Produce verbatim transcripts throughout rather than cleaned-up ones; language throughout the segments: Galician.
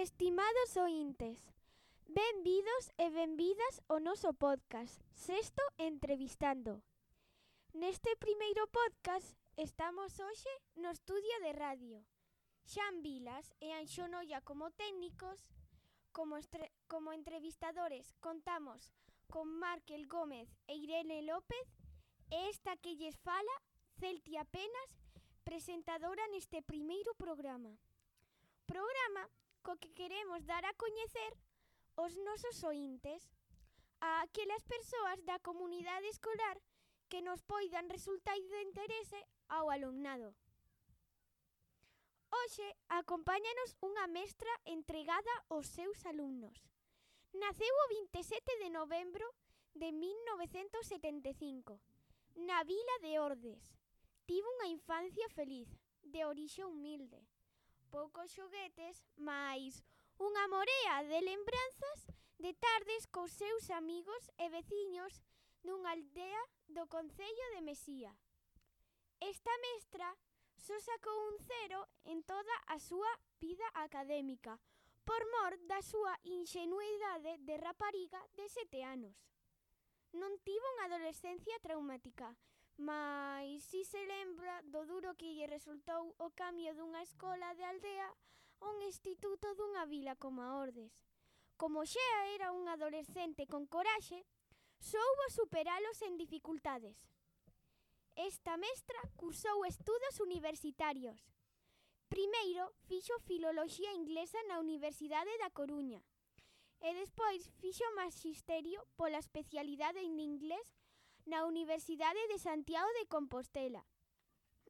Estimados oíntes, benvidos e benvidas ao noso podcast Sexto Entrevistando. Neste primeiro podcast estamos hoxe no estudio de radio. Xan Vilas e Anxo Noia como técnicos, como, estre- como entrevistadores contamos con Márquel Gómez e Irene López e esta que lles fala, Celtia Penas, presentadora neste primeiro programa. Programa co que queremos dar a coñecer os nosos oíntes a aquelas persoas da comunidade escolar que nos poidan resultar de interese ao alumnado. Hoxe acompáñanos unha mestra entregada aos seus alumnos. Naceu o vinte e sete de novembro de mil novecentos setenta e cinco, na vila de Ordes. Tivo unha infancia feliz, de orixe humilde. Poucos xoguetes, mais unha morea de lembranzas de tardes cos seus amigos e veciños dunha aldea do concello de Mesía. Esta mestra só sacou un cero en toda a súa vida académica, por mor da súa inxenuidade de rapariga de sete anos. Non tivo unha adolescencia traumática, mais si se lembra do duro que lle resultou o cambio dunha escola de aldea a un instituto dunha vila como a Ordes. Como xa era un adolescente con coraxe, soubo superalos sen dificultades. Esta mestra cursou estudos universitarios. Primeiro fixo filoloxía inglesa na Universidade da Coruña e despois fixo maxisterio pola especialidade en inglés na Universidade de Santiago de Compostela.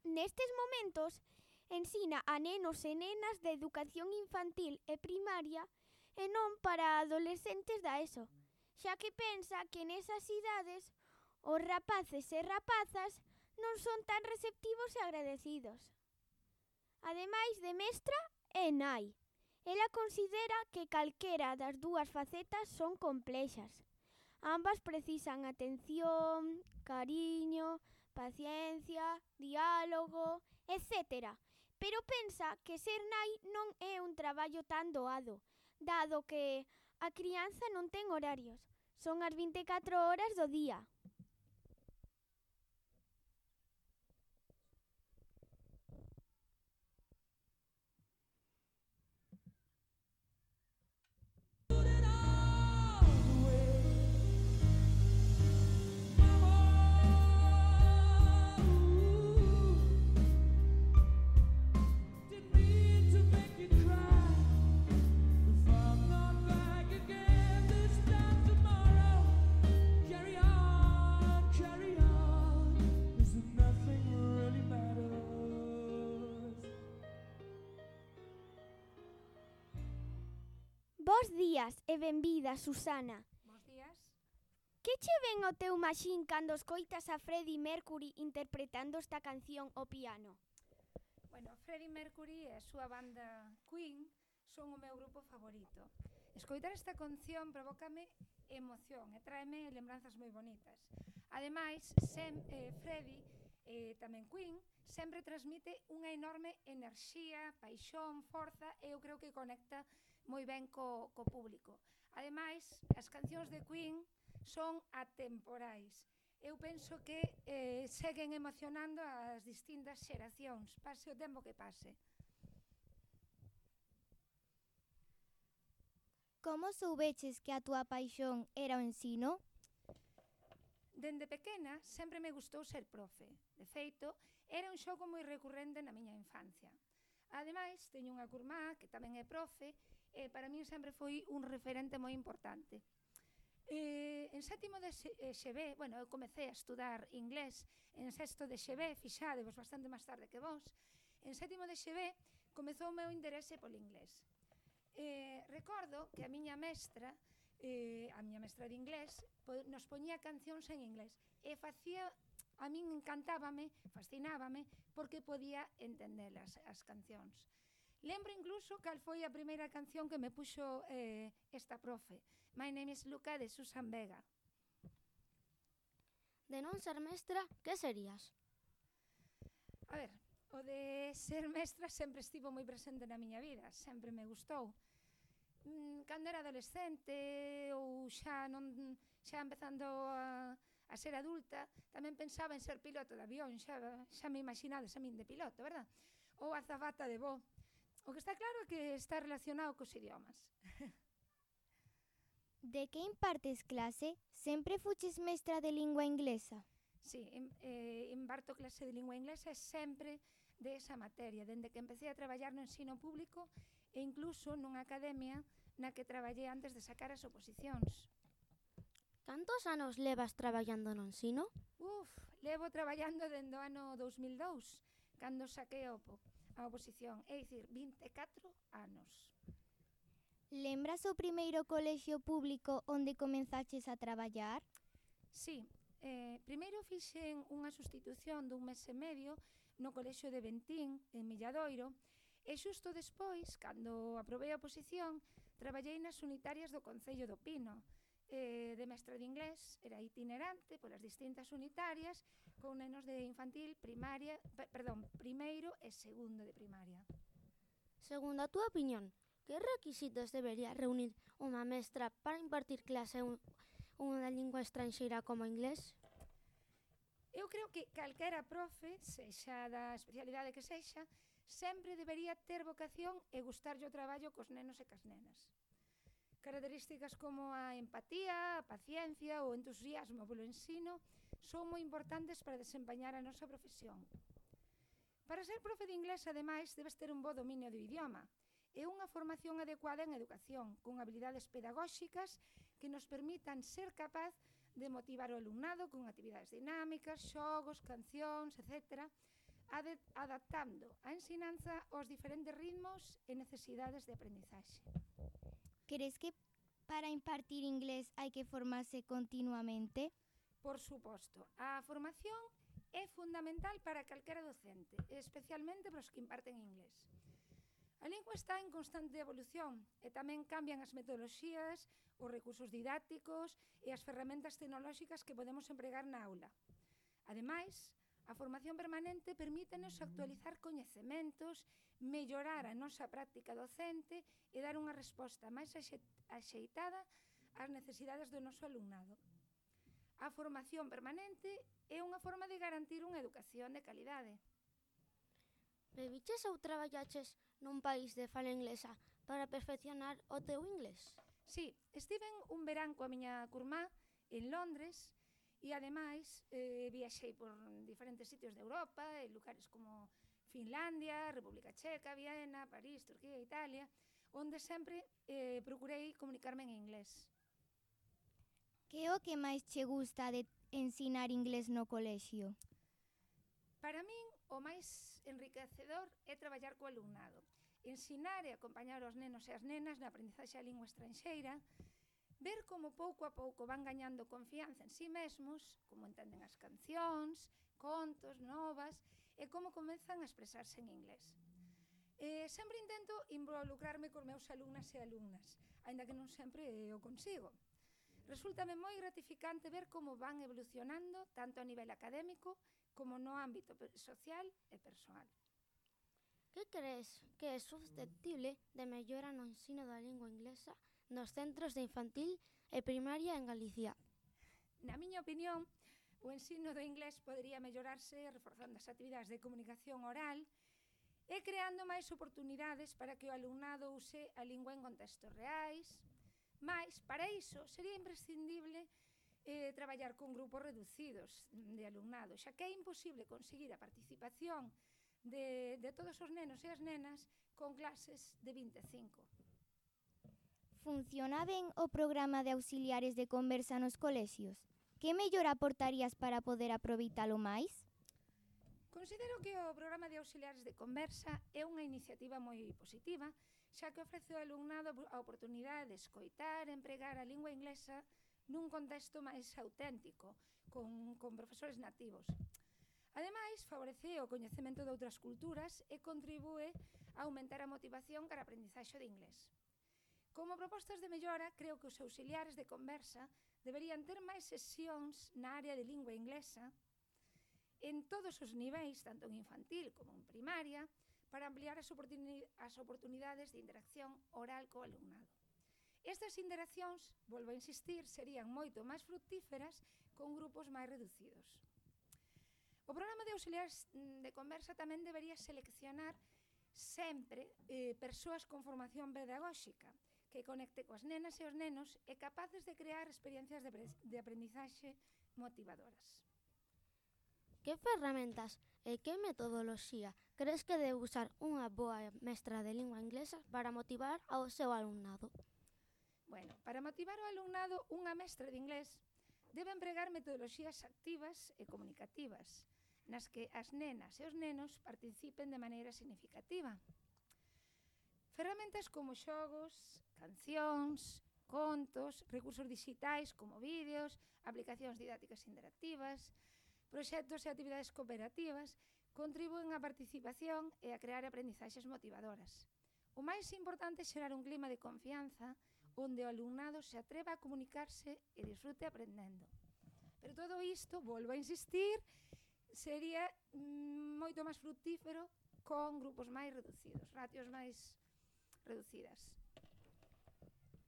Nestes momentos, ensina a nenos e nenas de educación infantil e primaria e non para adolescentes da ESO, xa que pensa que nesas idades os rapaces e rapazas non son tan receptivos e agradecidos. Ademais de mestra, é nai. Ela considera que calquera das dúas facetas son complexas. Ambas precisan atención, cariño, paciencia, diálogo, etcétera. Pero pensa que ser nai non é un traballo tan doado, dado que a crianza non ten horarios. Son as vinte e catro horas do día. Bos días e benvida, Susana. Bos días. Que che ven ao teu maxín cando escoitas a Freddie Mercury interpretando esta canción ao piano? Bueno, Freddie Mercury e a súa banda Queen son o meu grupo favorito. Escoitar esta canción provócame emoción e tráeme lembranzas moi bonitas. Ademais, sem, eh, Freddie e tamén Queen sempre transmite unha enorme enerxía, paixón, forza e eu creo que conecta moi ben co, co público. Ademais, as cancións de Queen son atemporais. Eu penso que eh, seguen emocionando as distintas xeracións, pase o tempo que pase. Como soubeches que a túa paixón era o ensino? Dende pequena sempre me gustou ser profe. De feito, era un xogo moi recurrente na miña infancia. Ademais, teño unha curmá que tamén é profe e para min sempre foi un referente moi importante. Eh, en sétimo de X B, bueno, eu comecei a estudar inglés en sexto de X B, fixadevos bastante máis tarde que vos. En sétimo de X B comezou o meu interese polo inglés. Eh, recordo que a miña mestra, eh, a miña mestra de inglés, po, nos poñía cancións en inglés e facía, a min encantábame, fascinábame, porque podía entendelas as cancións. Lembro incluso cal foi a primeira canción que me puxo eh, esta profe, My Name is Luca, de Susan Vega. De non ser mestra, que serías? A ver, o de ser mestra sempre estivo moi presente na miña vida, sempre me gustou. mm, cando era adolescente ou xa non xa empezando a, a ser adulta, tamén pensaba en ser piloto de avión, xa, xa me imaginades a min de piloto, verdad? Ou azafata de voo. O que está claro é que está relacionado cos idiomas. De que impartes clase? Sempre fuches mestra de lingua inglesa? Sí, em, eh, imparto clase de lingua inglesa e sempre de esa materia, dende que empecé a traballar no ensino público e incluso nunha academia na que traballei antes de sacar as oposicións. Cantos anos levas traballando no ensino? Uf, levo traballando dende o ano dous mil e dous, cando saquei a, opo, a oposición, é dicir, vinte e catro anos. Lembras o primeiro colexio público onde comenzaches a traballar? Sí, eh, primeiro fixen unha sustitución dun mes e medio no colexio de Bentín, en Milladoiro, e xusto despois, cando aprobei a oposición, traballei nas unitarias do Concello do Pino, eh, de mestra de inglés, era itinerante polas distintas unitarias, con nenos de infantil, primaria, per, perdón, primeiro e segundo de primaria. Segundo a túa opinión, que requisitos debería reunir unha mestra para impartir clase en unha lingua estranxeira como inglés? Eu creo que calquera profe, sexa da especialidade que sexa, sempre debería ter vocación e gustarlle o traballo cos nenos e cas nenas. Características como a empatía, a paciencia ou o entusiasmo polo ensino son moi importantes para desempeñar a nosa profesión. Para ser profe de inglés, ademais, debes ter un bo dominio do idioma e unha formación adecuada en educación, con habilidades pedagóxicas que nos permitan ser capaz de motivar o alumnado con actividades dinámicas, xogos, cancións, etcétera, adaptando a ensinanza aos diferentes ritmos e necesidades de aprendizaxe. Crees que para impartir inglés hai que formarse continuamente? Por suposto, a formación é fundamental para calquera docente, especialmente para os que imparten inglés. A lingua está en constante evolución e tamén cambian as metodoloxías, os recursos didácticos e as ferramentas tecnolóxicas que podemos empregar na aula. Ademais, a formación permanente permítenos actualizar coñecementos, mellorar a nosa práctica docente e dar unha resposta máis axeitada ás necesidades do noso alumnado. A formación permanente é unha forma de garantir unha educación de calidade. Viviches ou traballaches nun país de fala inglesa para perfeccionar o teu inglés? Sí, estiven un verán coa miña curmá en Londres e, ademais, eh, viaxei por diferentes sitios de Europa, en lugares como Finlandia, República Checa, Viena, París, Turquía e Italia, onde sempre eh, procurei comunicarme en inglés. Que é o que máis che gusta de ensinar inglés no colexio? Para min, o máis enriquecedor é traballar co alumnado, ensinar e acompañar os nenos e as nenas na aprendizaxe da lingua estranxeira, ver como pouco a pouco van gañando confianza en si mesmos, como entenden as cancións, contos, novas, e como comezan a expresarse en inglés. Eh, sempre intento involucrarme cos meus alumnas e alumnas, aínda que non sempre o consigo. Resúltame moi gratificante ver como van evolucionando tanto a nivel académico como no ámbito social e persoal. Que crees que é susceptible de mellora no ensino da lingua inglesa nos centros de infantil e primaria en Galicia? Na miña opinión, o ensino do inglés podería mellorarse reforzando as actividades de comunicación oral e creando máis oportunidades para que o alumnado use a lingua en contextos reais. Mais, para iso, sería imprescindible eh, traballar con grupos reducidos de alumnado, xa que é imposible conseguir a participación de, de todos os nenos e as nenas con clases de vinte e cinco. Funciona ben o programa de auxiliares de conversa nos colexios? Que mellora aportarías para poder aproveitalo máis? Considero que o programa de auxiliares de conversa é unha iniciativa moi positiva, xa que ofrece ao alumnado a oportunidade de escoitar e empregar a lingua inglesa nun contexto máis auténtico, con, con profesores nativos. Ademais, favorece o coñecemento de outras culturas e contribúe a aumentar a motivación cara a aprendizaxe de inglés. Como propostas de mellora, creo que os auxiliares de conversa deberían ter máis sesións na área de lingua inglesa en todos os niveis, tanto en infantil como en primaria, para ampliar as, oportuni as oportunidades de interacción oral co alumnado. Estas interaccións, volvo a insistir, serían moito máis fructíferas con grupos máis reducidos. O programa de auxiliares de conversa tamén debería seleccionar sempre eh, persoas con formación pedagóxica que conecte coas nenas e os nenos e capaces de crear experiencias de, de aprendizaxe motivadoras. Que ferramentas e que metodoloxía crees que debe usar unha boa mestra de lingua inglesa para motivar ao seu alumnado? Bueno, para motivar o alumnado, unha mestra de inglés debe empregar metodoloxías activas e comunicativas, nas que as nenas e os nenos participen de maneira significativa. Ferramentas como xogos, cancións, contos, recursos digitais como vídeos, aplicacións didácticas interactivas, proxectos e actividades cooperativas contribúen á participación e a crear aprendizaxes motivadoras. O máis importante é xerar un clima de confianza onde o alumnado se atreva a comunicarse e disfrute aprendendo. Pero todo isto, volvo a insistir, sería mm, moito máis fructífero con grupos máis reducidos, ratios máis reducidas.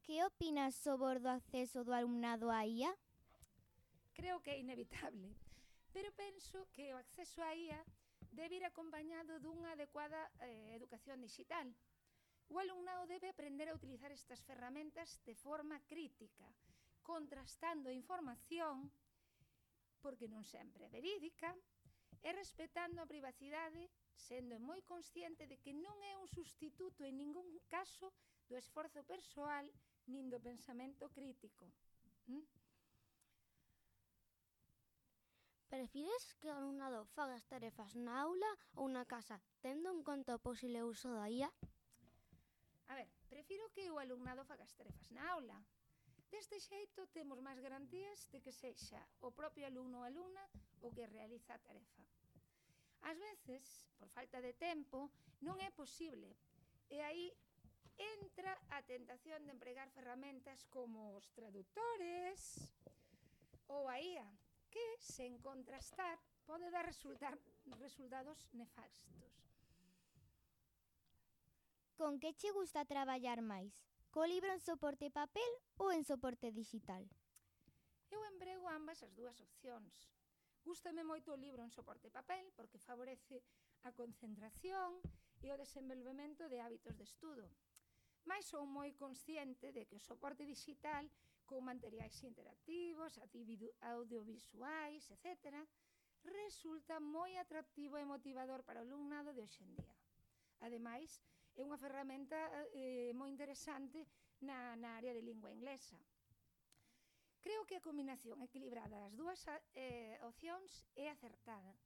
Que opinas sobre o acceso do alumnado á I A? Creo que é inevitable, pero penso que o acceso á I A debe ir acompañado dunha adecuada eh, educación digital. O alumnado debe aprender a utilizar estas ferramentas de forma crítica, contrastando a información, porque non sempre é verídica, e respetando a privacidade, sendo moi consciente de que non é un sustituto en ningún caso do esforzo persoal nin do pensamento crítico. ¿Mm? Prefires que o alumnado faga as tarefas na aula ou na casa, tendo en conta o posible uso da I A? A ver, prefiro que o alumnado faga as tarefas na aula. Deste xeito temos máis garantías de que sexa o propio alumno ou alumna o que realiza a tarefa. Ás veces, por falta de tempo, non é posible, e aí entra a tentación de empregar ferramentas como os traductores ou a I A, que, sen contrastar, pode dar resultar, resultados nefastos. Con que che gusta traballar máis? Co libro en soporte papel ou en soporte digital? Eu emprego ambas as dúas opcións. Gústame moito o libro en soporte papel porque favorece a concentración e o desenvolvemento de hábitos de estudo. Mais sou moi consciente de que o soporte digital, con materiais interactivos, audiovisuais, etcétera, resulta moi atractivo e motivador para o alumnado de hoxe en día. Ademais, é unha ferramenta eh, moi interesante na, na área de lingua inglesa. Creo que a combinación equilibrada das dúas eh, opcións é acertada,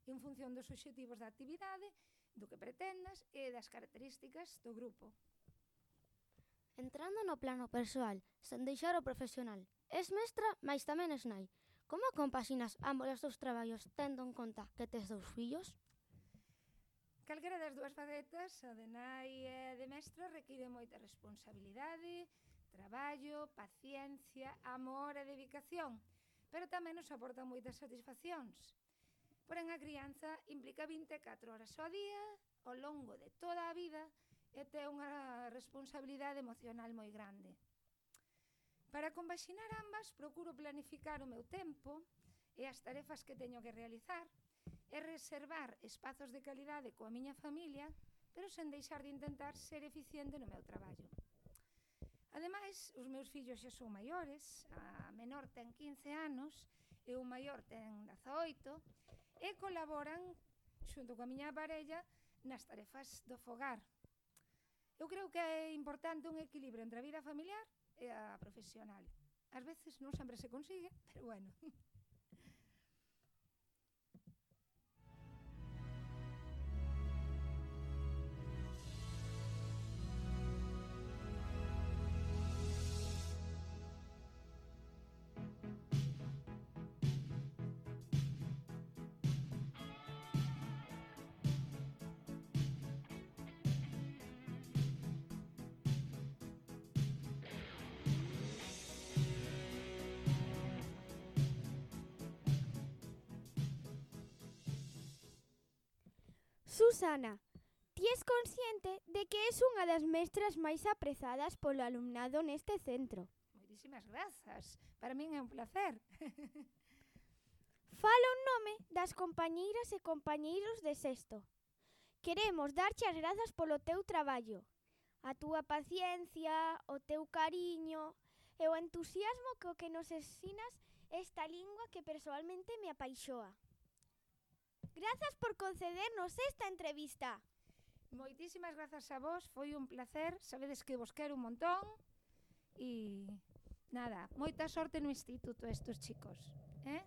en función dos obxectivos da actividade, do que pretendas e das características do grupo. Entrando no plano persoal, sen deixar o profesional, es mestra, mais tamén es nai. Como compaxinas ambos os teus traballos tendo en conta que tes dous fillos? Calquera das dúas facetas, a de nai e a de mestra, require moita responsabilidade, traballo, paciencia, amor e dedicación, pero tamén nos aporta moitas satisfaccións. Porén, a crianza implica vinte e catro horas ao día, ao longo de toda a vida, e ten unha responsabilidade emocional moi grande. Para compaxinar ambas, procuro planificar o meu tempo e as tarefas que teño que realizar e reservar espazos de calidade coa miña familia, pero sen deixar de intentar ser eficiente no meu traballo. Ademais, os meus fillos xa son maiores, a menor ten quince anos e o maior ten dezaoito, e colaboran xunto coa miña parella nas tarefas do fogar. Eu creo que é importante un equilibrio entre a vida familiar e a profesional. Ás veces non sempre se consigue, pero bueno. Susana, Ti es consciente de que es unha das mestras máis aprezadas polo alumnado neste centro. Moitísimas grazas. Para min é un placer. Falo en nome das compañeiras e compañeiros de sexto. Queremos darche as grazas polo teu traballo, a túa paciencia, o teu cariño e o entusiasmo co que nos ensinas esta lingua que persoalmente me apaixoa. Grazas por concedernos esta entrevista. Moitísimas grazas a vos, foi un placer, sabedes que vos quero un montón e nada, moita sorte no instituto estos chicos, eh?